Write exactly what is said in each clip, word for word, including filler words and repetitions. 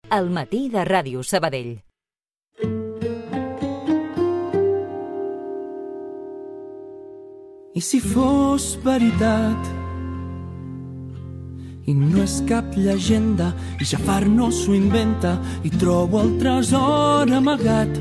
al matí de Ràdio Sabadell. I si fos veritat i no és cap llegenda i Jafar no s'ho inventa i trobo el tresor amagat,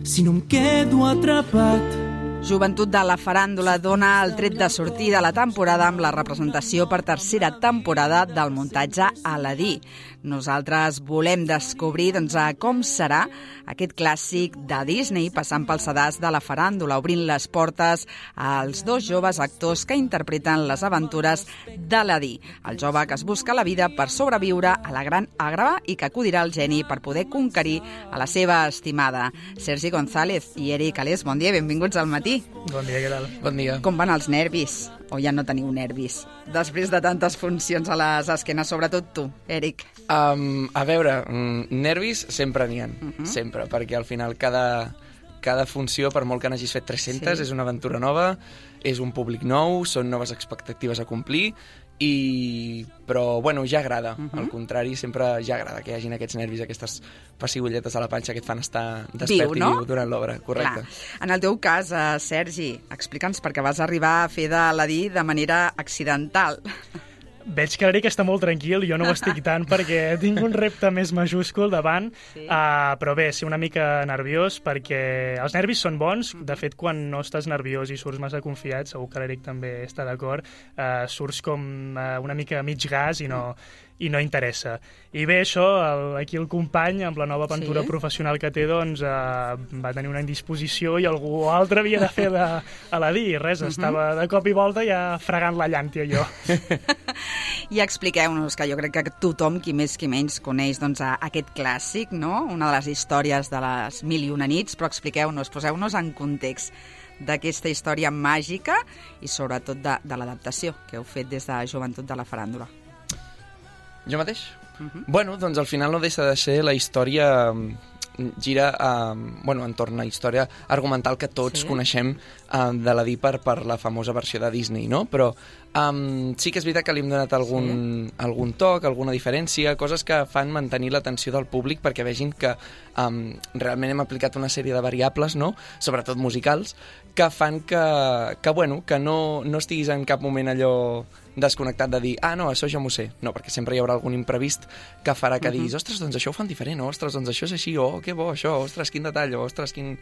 si no em quedo atrapat. Joventut de la Faràndula dona el tret de sortida a la temporada amb la representació per tercera temporada del muntatge Aladí. Nosaltres volem descobrir doncs, com serà aquest clàssic de Disney passant pel sedàs de la faràndula, obrint les portes als dos joves actors que interpreten les aventures d'Aladí, el jove que es busca la vida per sobreviure a la gran àgrava i que acudirà al geni per poder conquerir a la seva estimada. Sergi González i Eric Alés, bon dia, benvinguts al matí. Bon dia, què tal? Bon dia. Com van els nervis? O ja no teniu nervis? Després de tantes funcions a les esquenes, sobretot tu, Eric. Um, a veure, nervis sempre n'hi ha, uh -huh. sempre, perquè al final cada, cada funció, per molt que n'hagis fet tres-centes, sí. és una aventura nova, és un públic nou, són noves expectatives a complir, i... però, bueno, ja agrada. Uh -huh. Al contrari, sempre ja agrada que hi hagin aquests nervis, aquestes pessigolletes a la panxa que et fan estar despert viu, no? i viu durant l'obra, correcte. Clar. En el teu cas, uh, Sergi, explica'ns perquè vas arribar a fer d'Aladí de manera accidental. Veig que l'Eric està molt tranquil, jo no ho estic tant perquè tinc un repte més majúscul davant, sí. uh, però bé, sí, una mica nerviós perquè els nervis són bons. De fet, quan no estàs nerviós i surts massa confiat, segur que l'Eric també està d'acord, uh, surts com uh, una mica mig gas i no, i no interessa. I bé, això, el, aquí el company, amb la nova aventura sí. professional que té, doncs, uh, va tenir una indisposició i algú altre havia de fer d'Aladí. Res, uh -huh. estava de cop i volta ja fregant la llàntia jo. I expliqueu-nos, que jo crec que tothom, qui més qui menys, coneix doncs, aquest clàssic, no? Una de les històries de les mil i una nits, però expliqueu-nos, poseu-nos en context d'aquesta història màgica i sobretot de, de l'adaptació que heu fet des de Joventut de la Faràndula. Jo mateix? Uh-huh. Bueno, doncs al final no deixa de ser la història... gira eh, bueno, entorn a la història argumental que tots sí. coneixem eh, d'Aladí per, per la famosa versió de Disney, no? Però eh, sí que és veritat que li hem donat algun, sí. algun toc, alguna diferència, coses que fan mantenir l'atenció del públic perquè vegin que eh, realment hem aplicat una sèrie de variables, no? Sobretot musicals, que fan que, que, bueno, que no, no estiguis en cap moment allò desconnectat de dir, ah, no, això ja m'ho sé. No, perquè sempre hi haurà algun imprevist que farà que uh-huh. diguis, ostres, doncs això ho fan diferent, ostres, doncs això és així, oh, que bo, això, ostres, quin detall, ostres, quin,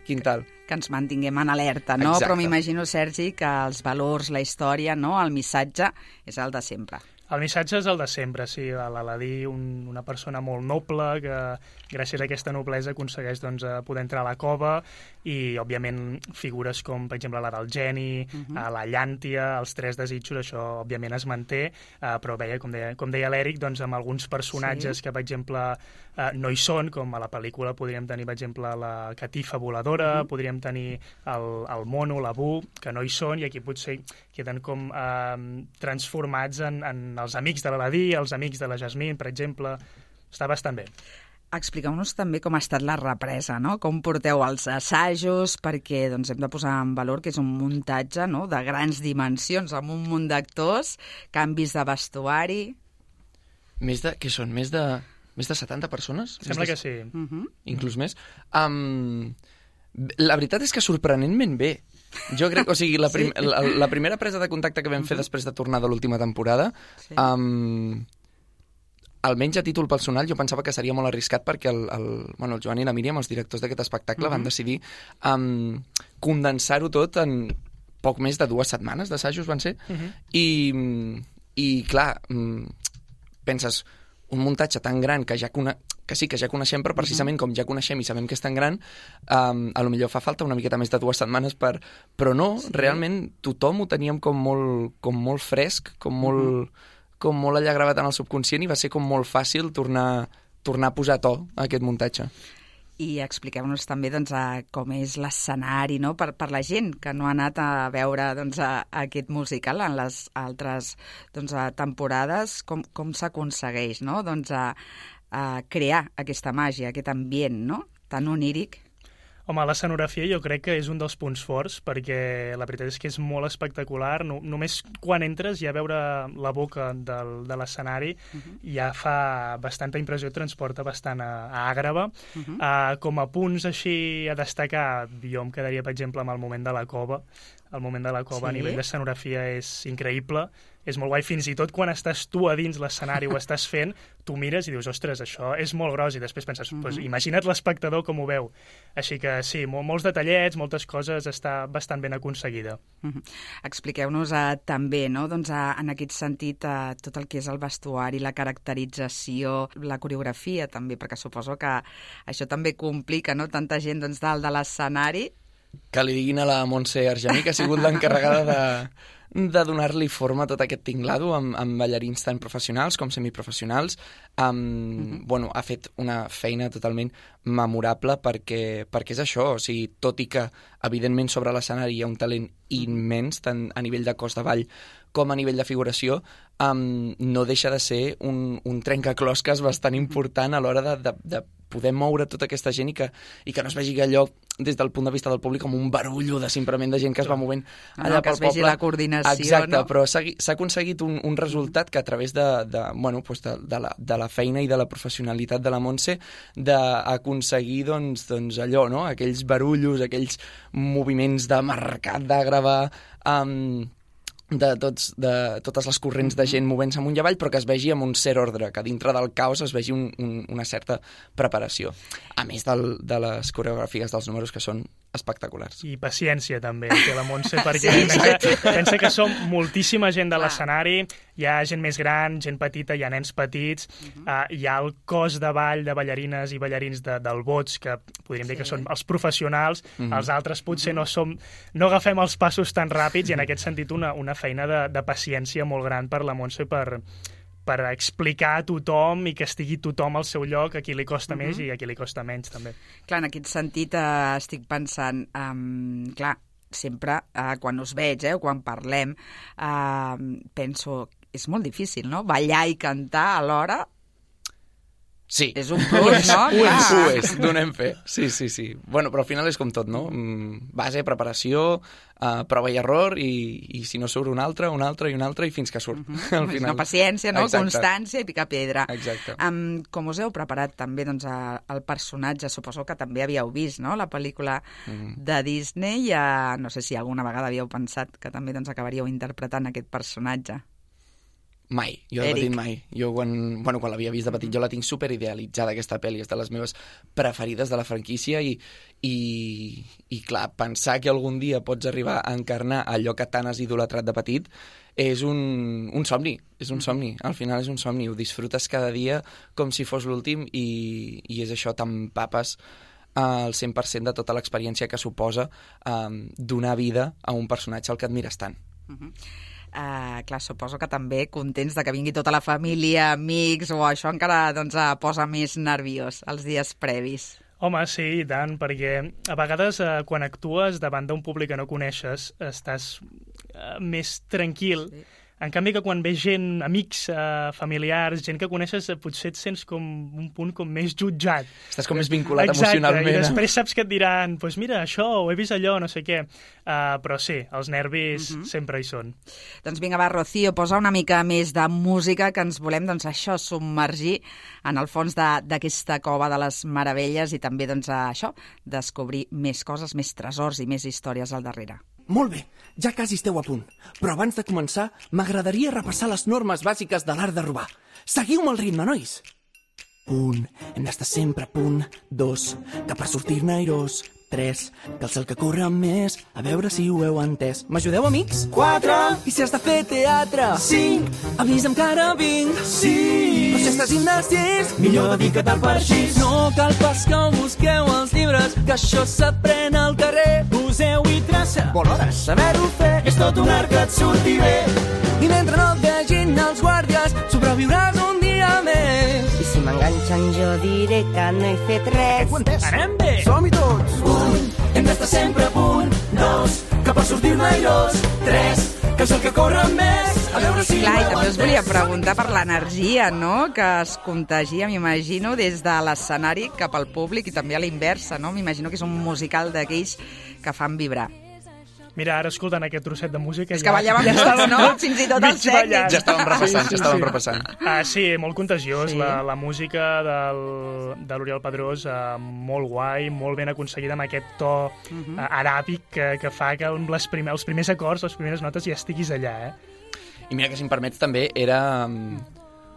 quin tal. Que ens mantinguem en alerta, no? Exacte. Però m'imagino, Sergi, que els valors, la història, no? El missatge és el de sempre. El missatge és el de sempre, sí. L'Aladí, un, una persona molt noble que gràcies a aquesta noblesa aconsegueix doncs, poder entrar a la cova i, òbviament, figures com, per exemple, la del geni, uh-huh. la llàntia, els tres desitjos, això, òbviament, es manté, uh, però veia, com deia, com deia l'Eric, doncs, amb alguns personatges sí. que, per exemple, uh, no hi són, com a la pel·lícula podríem tenir, per exemple, la catifa voladora, uh-huh. podríem tenir el, el mono, la Bu, que no hi són, i aquí potser queden com uh, transformats en, en els amics de l'Aladí, els amics de la Jasmine, per exemple. Està bastant bé. Expliqueu-nos també com ha estat la represa, no? Com porteu els assajos, perquè doncs, hem de posar en valor que és un muntatge, no?, de grans dimensions, amb un munt d'actors, canvis de vestuari... Més de... Què són? Més de... Més de setanta persones? Sembla de... que sí. Uh-huh. Inclús més. Um, la veritat és que sorprenentment bé. Jo crec, o sigui, la, prim, sí. la, la primera presa de contacte que vam fer uh-huh. després de tornar de l'última temporada, sí. um, almenys a títol personal, jo pensava que seria molt arriscat perquè el, el, bueno, el Joan i la Míriam, els directors d'aquest espectacle, uh-huh. van decidir um, condensar-ho tot en poc més de dues setmanes d'assajos, van ser, uh-huh. i, i clar, um, penses, un muntatge tan gran que ja cone... que sí, que ja coneixem, però precisament com ja coneixem i sabem que és tan gran, um, a lo millor fa falta una miqueta més de dues setmanes per... Però no, sí. realment tothom ho teníem com molt, com molt fresc, com molt, uh-huh. com molt allà gravat en el subconscient i va ser com molt fàcil tornar, tornar a posar to a aquest muntatge. I expliqueu-nos també doncs, a com és l'escenari, no?, per, per la gent que no ha anat a veure doncs, a, a aquest musical en les altres doncs, a temporades, com, com s'aconsegueix, no?, doncs, a, a crear aquesta màgia, aquest ambient, no?, tan oníric. Home, l'escenografia jo crec que és un dels punts forts, perquè la veritat és que és molt espectacular. No, només quan entres ja veure la boca del, de l'escenari uh-huh. ja fa bastanta impressió, et transporta bastant a, a Àgrava. Uh-huh. Uh, com a punts així a destacar, jo em quedaria, per exemple, amb el moment de la cova. El moment de la cova sí. a nivell d'escenografia és increïble. És molt guai, fins i tot quan estàs tu a dins l'escenari o estàs fent, tu mires i dius, ostres, això és molt gros, i després penses, uh-huh. pues, imagina't l'espectador com ho veu. Així que sí, mol, molts detallets, moltes coses, està bastant ben aconseguida. Uh-huh. Expliqueu-nos uh, també, no? doncs, uh, en aquest sentit, uh, tot el que és el vestuari, la caracterització, la coreografia també, perquè suposo que això també complica, no? Tanta gent doncs, dalt de l'escenari. Que li diguin a la Montse Argemí, que ha sigut l'encarregada de, de donar-li forma a tot aquest tinglado amb, amb ballarins tan professionals com semiprofessionals. Um, mm-hmm. bueno, ha fet una feina totalment memorable perquè, perquè és això, o sigui, tot i que evidentment sobre l'escenari hi ha un talent immens, tant a nivell de cos de ball com a nivell de figuració, um, no deixa de ser un, un trencaclosques bastant important a l'hora de, de, de poder moure tota aquesta gent i que, i que no es vegi allò des del punt de vista del públic com un barullo de simplement de gent que es va movent allà no, que pel es vegi poble. La coordinació. Exacte, no? però s'ha aconseguit un, un resultat que a través de, de, bueno, pues de, de, la, de la feina i de la professionalitat de la Montse d'aconseguir doncs, doncs allò, no? Aquells barullos, aquells moviments de mercat, de gravar... Um, de, tots, de totes les corrents de gent movent-se amunt i avall, però que es vegi amb un cert ordre, que dintre del caos es vegi un, un, una certa preparació. A més del, de les coreografies dels números, que són espectaculars. I paciència, també, té la Montse, perquè sí, pensa, pensa que som moltíssima gent de l'escenari, hi ha gent més gran, gent petita, hi ha nens petits, uh-huh. uh, hi ha el cos de ball de ballarines i ballarins de, del Bots, que podríem sí. dir que són els professionals, uh-huh. els altres potser uh-huh. no som, no agafem els passos tan ràpids, i en aquest sentit una, una feina de, de paciència molt gran per la Montse per... per explicar a tothom i que estigui tothom al seu lloc, a qui li costa uh-huh. més i a qui li costa menys, també. Clar, en aquest sentit eh, estic pensant, um, clar, sempre eh, quan us veig, eh, o quan parlem, eh, penso, és molt difícil, no?, ballar i cantar alhora. Sí. És un plus, no? Ho és, ho és, donem fe. Sí, sí, sí. Bueno, però al final és com tot, no? Base, preparació, uh, prova i error, i, i si no surt un altre, un altre i un altre, i fins que surt. Uh-huh. Al final. No, paciència, no? Exacte. Constància i picar pedra. Exacte. Um, com us heu preparat també doncs, a, el personatge, suposo que també havíeu vist, no?, la pel·lícula uh-huh. de Disney, uh, no sé si alguna vegada havíeu pensat que també doncs, acabaríeu interpretant aquest personatge. Mai, jo de petit mai. Jo quan, bueno, quan l'havia vist de petit jo la tinc super idealitzada, aquesta pel·li, és de les meves preferides de la franquícia i, i, i clar, pensar que algun dia pots arribar a encarnar allò que tant has idolatrat de petit és un, un somni, és un somni, al final és un somni, ho disfrutes cada dia com si fos l'últim i, i és això, t'empapes al cent per cent de tota l'experiència que suposa um, donar vida a un personatge al que admires tant. Uh-huh. Uh, clar, suposo que també contents de que vingui tota la família, amics, o això encara doncs, uh, posa més nerviós els dies previs. Home, sí, i tant, perquè a vegades eh, quan actues davant d'un públic que no coneixes estàs eh, més tranquil. Sí. En canvi que quan veus gent, amics, eh, familiars, gent que coneixes, eh, potser et sents com un punt com més jutjat. Estàs com més vinculat Exacte, emocionalment. Exacte, i després saps que et diran, doncs pues mira, això, o he vist allò, no sé què. Uh, però sí, els nervis uh-huh. sempre hi són. Doncs vinga, va, Rocío, posa una mica més de música, que ens volem, doncs, això, submergir en el fons d'aquesta cova de les meravelles i també, doncs, això, descobrir més coses, més tresors i més històries al darrere. Molt bé, ja quasi esteu a punt. Però abans de començar, m'agradaria repassar les normes bàsiques de l'art de robar. Seguiu-me el ritme, nois! Un, hem d'estar sempre a punt. Dos, que per sortir-ne airós. Tres, que el cel que corre més. A veure si ho heu entès. M'ajudeu, amics? Quatre, i si has de fer teatre? Cinc, avisa'm que ara vinc. Sis, però si estàs indecís, millor dedica't al parxís. No cal pas que busqueu els llibres, que això s'aprèn al carrer. Poseu i traça, bon hores, saber-ho fer, és tot un art que et surti bé. I mentre no et vegin els guàrdies, sobreviuràs un dia més. I si m'enganxen jo diré que no he fet res. Ho entès? Anem bé! Som-hi tots! Un, hem d'estar sempre a punt. Dos, que per sortir-ne airós. Tres, que és el que corre més. a veure si... Clar, i també us volia preguntar per l'energia, no?, que es contagia, m'imagino, des de l'escenari cap al públic i també a la inversa, no? M'imagino que és un musical d'aquells que fan vibrar. Mira, ara escoltant aquest trosset de música... És ja, que ballàvem ja tots, no? Fins i tot els tècnics. Ja estàvem repassant, sí, sí, ja estàvem sí. repassant. Ah, sí, molt contagiós. Sí. La, la música del, de l'Oriol Pedrós, uh, molt guai, molt ben aconseguida amb aquest to uh, uh, aràbic que, que fa que amb les primer, els primers acords, les primeres notes ja estiguis allà, eh? I mira que, si em permets, també era...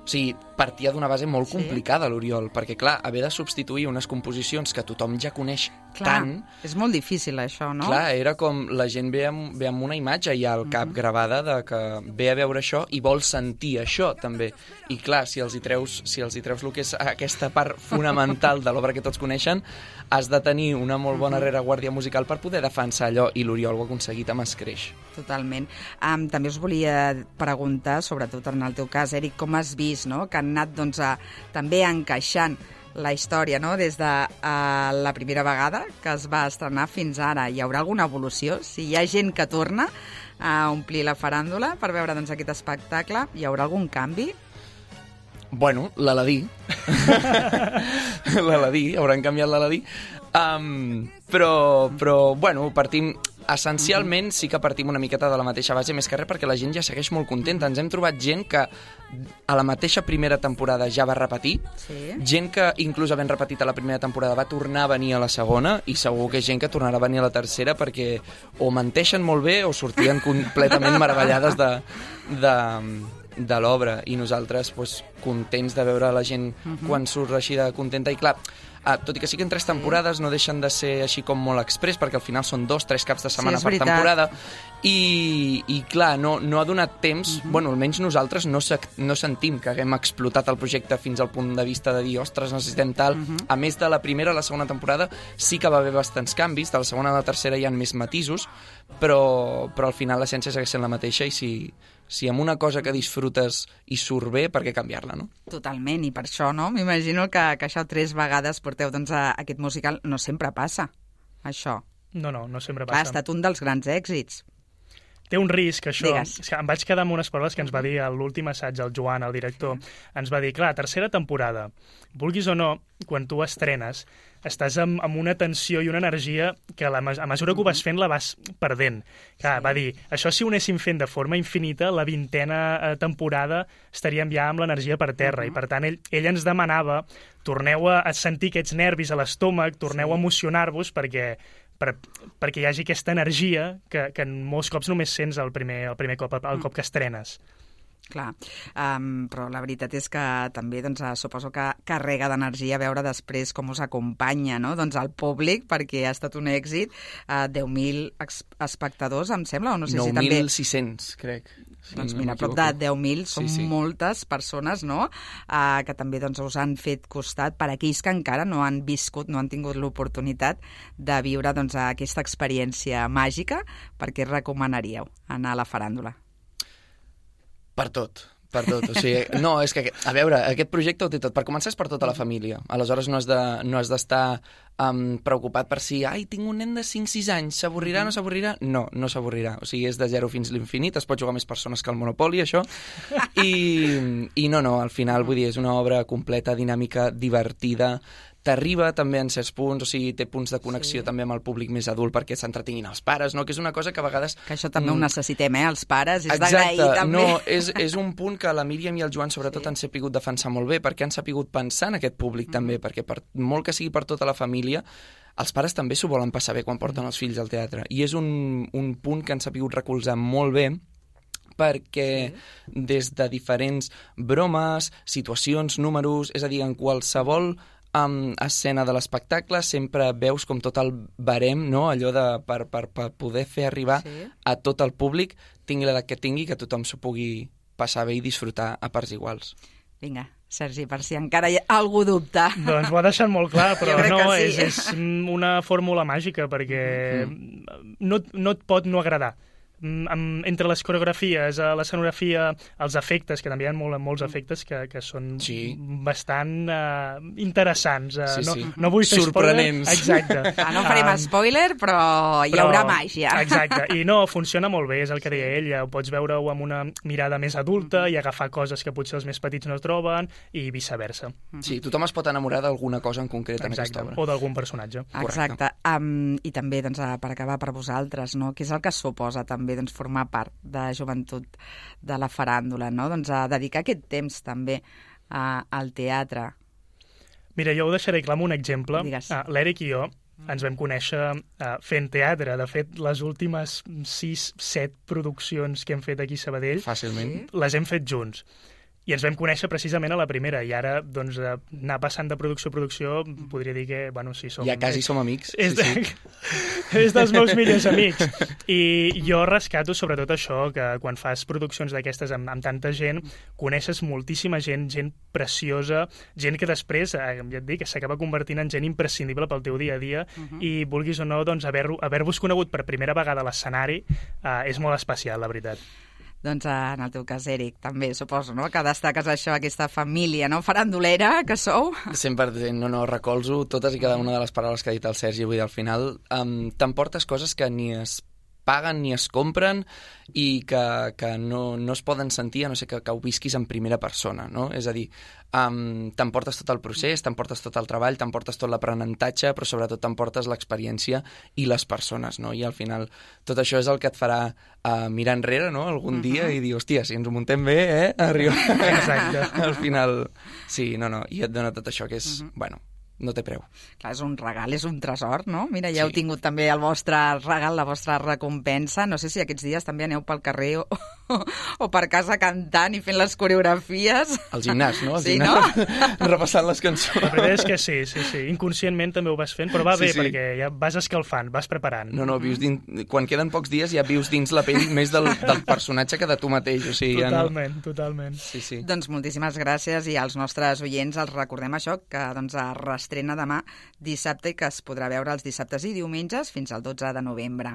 O sigui, partia d'una base molt Sí. complicada, l'Oriol, perquè, clar, haver de substituir unes composicions que tothom ja coneix Clar, tant... és molt difícil, això, no? Clar, era com la gent ve amb, ve amb una imatge ja al cap gravada de que ve a veure això i vol sentir això, també. I clar, si els hi treus, si els hi treus el que és aquesta part fonamental de l'obra que tots coneixen, has de tenir una molt bona rereguàrdia musical per poder defensar allò, i l'Oriol ho ha aconseguit amb escreix. Totalment. Um, també us volia preguntar, sobretot en el teu cas, Eric, com has vist, no?, que han anat doncs, a, també encaixant la història, no?, des de uh, la primera vegada que es va estrenar fins ara. Hi haurà alguna evolució? Si hi ha gent que torna a omplir la faràndula per veure doncs, aquest espectacle, hi haurà algun canvi? Bueno, l'Aladí. L'Aladí, hauran canviat l'Aladí. Um, però, però, bueno, partim... Essencialment sí que partim una miqueta de la mateixa base, més que res perquè la gent ja segueix molt contenta. Ens hem trobat gent que a la mateixa primera temporada ja va repetir, Sí. gent que inclús havent repetit a la primera temporada va tornar a venir a la segona, i segur que gent que tornarà a venir a la tercera perquè o menteixen molt bé o sortien completament meravellades de, de, de l'obra, i nosaltres pues, contents de veure la gent quan surt així de contenta. I clar, Ah, tot i que sí que en tres temporades no deixen de ser així com molt express, perquè al final són dos, tres caps de setmana és per veritat. temporada, i, i clar, no, no ha donat temps, bueno, almenys nosaltres no, se, no sentim que haguem explotat el projecte fins al punt de vista de dir, ostres, necessitem tal. A més de la primera a la segona temporada sí que va haver bastants canvis, de la segona a la tercera hi ha més matisos, però, però al final l'essència segueix sent la mateixa, i si, si amb una cosa que disfrutes i surt bé, per què canviar-la, no? Totalment, i per això, no? M'imagino que, que això tres vegades porteu doncs, a aquest musical. No sempre passa, això. No, no, no sempre Clar, ha passa. estat un dels grans èxits. Té un risc, això. Digues. És que em vaig quedar amb unes paraules que ens va dir a l'últim assaig, el Joan, el director. Ens va dir, clar, tercera temporada, vulguis o no, quan tu estrenes, estàs amb, amb una tensió i una energia que a, la, a mesura que ho vas fent la vas perdent. Clar, va dir, això si ho anéssim fent de forma infinita, la vintena eh, temporada estaríem ja amb l'energia per terra, i per tant ell, ell ens demanava, torneu a, a sentir aquests nervis a l'estómac, torneu a emocionar-vos perquè Per, perquè hi hagi aquesta energia que, que molts cops només sents el primer, el primer cop, el cop que estrenes. Clar, um, però la veritat és que també doncs, suposo que carrega d'energia veure després com us acompanya, no?, doncs el públic, perquè ha estat un èxit. Uh, deu mil espectadors, em sembla, o no sé si també... nou mil sis-cents, crec. Sí, Doncs no mira, prop de deu mil són Sí, sí. moltes persones, no?, uh, que també doncs, us han fet costat per aquells que encara no han viscut, no han tingut l'oportunitat de viure doncs, aquesta experiència màgica. Per què recomanaríeu anar a la faràndula? Per tot, per tot. O sigui, no, és que, a veure, aquest projecte ho té tot. Per començar és per tota la família. Aleshores no has de, no has d'estar um, preocupat per si, ai, tinc un nen de cinc sis anys, s'avorrirà, no s'avorrirà? No, no s'avorrirà. O sigui, és de zero fins l'infinit, es pot jugar més persones que el Monopoly, això. I, i no, no, al final, vull dir, és una obra completa, dinàmica, divertida, t'arriba també en certs punts, o sigui, té punts de connexió sí. també amb el públic més adult perquè s'entretinguin els pares, no? Que és una cosa que a vegades... Que això també mm, ho necessitem, eh, els pares, és exacte, d'agrair també. No, és, és un punt que la Míriam i el Joan sobretot sí. han sapigut defensar molt bé, perquè han sapigut pensar en aquest públic mm. també, perquè per molt que sigui per tota la família, els pares també s'ho volen passar bé quan porten els fills al teatre, i és un, un punt que han sapigut recolzar molt bé, perquè sí. des de diferents bromes, situacions, números, és a dir, en qualsevol um, escena de l'espectacle sempre veus com tot el barem, no? Allò de per, per, per poder fer arribar sí. a tot el públic, tingui l'edat que tingui, que tothom s'ho pugui passar bé i disfrutar a parts iguals. Vinga, Sergi, per si encara hi ha algú dubte. Doncs ho ha deixat molt clar, però no, sí. és, és una fórmula màgica, perquè mm-hmm. no, no et pot no agradar. amb, entre les coreografies, uh, l'escenografia, els efectes, que també hi ha molt, molts efectes que, que són sí. bastant uh, interessants. Uh, sí, no, sí. no vull fer sorprenents. Spoiler. Exacte. Ah, no farem um, spoiler, però hi però, haurà màgia. Exacte. I no, funciona molt bé, és el que deia ell. Ho pots veure-ho amb una mirada més adulta i agafar coses que potser els més petits no troben i viceversa. Sí, tothom es pot enamorar d'alguna cosa en concret en Exacte. aquesta obra. O d'algun personatge. Exacte. Um, I també, doncs, per acabar, per vosaltres, no? Què és el que suposa també doncs, formar part de joventut de la faràndula, no? Doncs a dedicar aquest temps també a, al teatre. Mira, jo ho deixaré clar amb un exemple. Ah, L'Eric i jo ens vam conèixer uh, fent teatre. De fet, les últimes sis, set produccions que hem fet aquí a Sabadell fàcilment les hem fet junts. I ens vam conèixer precisament a la primera, i ara, doncs, anar passant de producció a producció, podria dir que, bueno, sí, som... Ja quasi som amics. És, sí, de... sí. és dels meus millors amics. I jo rescato sobretot això, que quan fas produccions d'aquestes amb, amb tanta gent, coneixes moltíssima gent, gent preciosa, gent que després, eh, ja et dic, s'acaba convertint en gent imprescindible pel teu dia a dia, uh -huh. i vulguis o no, doncs, haver-vos haver conegut per primera vegada a l'escenari eh, és molt especial, la veritat. Doncs en el teu cas, Eric, també suposo, no?, que destaques això, aquesta família, no?, farandulera que sou. cent per cent, no, no, recolzo totes i cada una de les paraules que ha dit el Sergi avui al final. Um, T'emportes coses que ni es paguen ni es compren i que, que no, no es poden sentir a no ser que, que ho visquis en primera persona, no? És a dir, um, t'emportes tot el procés, t'emportes tot el treball, t'emportes tot l'aprenentatge, però sobretot t'emportes l'experiència i les persones, no? I al final tot això és el que et farà uh, mirar enrere, no?, algun uh-huh. dia i dir, hòstia, si ens ho muntem bé, eh? Arriba. Exacte. Al final, sí, no, no, i et dona tot això que és, uh-huh. bueno, no té preu. Clar, és un regal, és un tresor, no? Mira, ja sí. heu tingut també el vostre regal, la vostra recompensa. No sé si aquests dies també aneu pel carrer o, o, o per casa cantant i fent les coreografies. Al gimnàs, no? Al sí, gimnàs, no? repassant les cançons. La veritat és que sí, sí, sí. Inconscientment també ho vas fent, però va sí, bé, sí. perquè ja vas escalfant, vas preparant. No, no, vius dins... quan queden pocs dies ja vius dins la pell més del, del personatge que de tu mateix. O sigui, totalment, ja no... totalment. Sí, sí. Doncs moltíssimes gràcies i als nostres oients els recordem això, que doncs es reestrena demà dissabte i que es podrà veure els dissabtes i diumenges fins al dotze de novembre.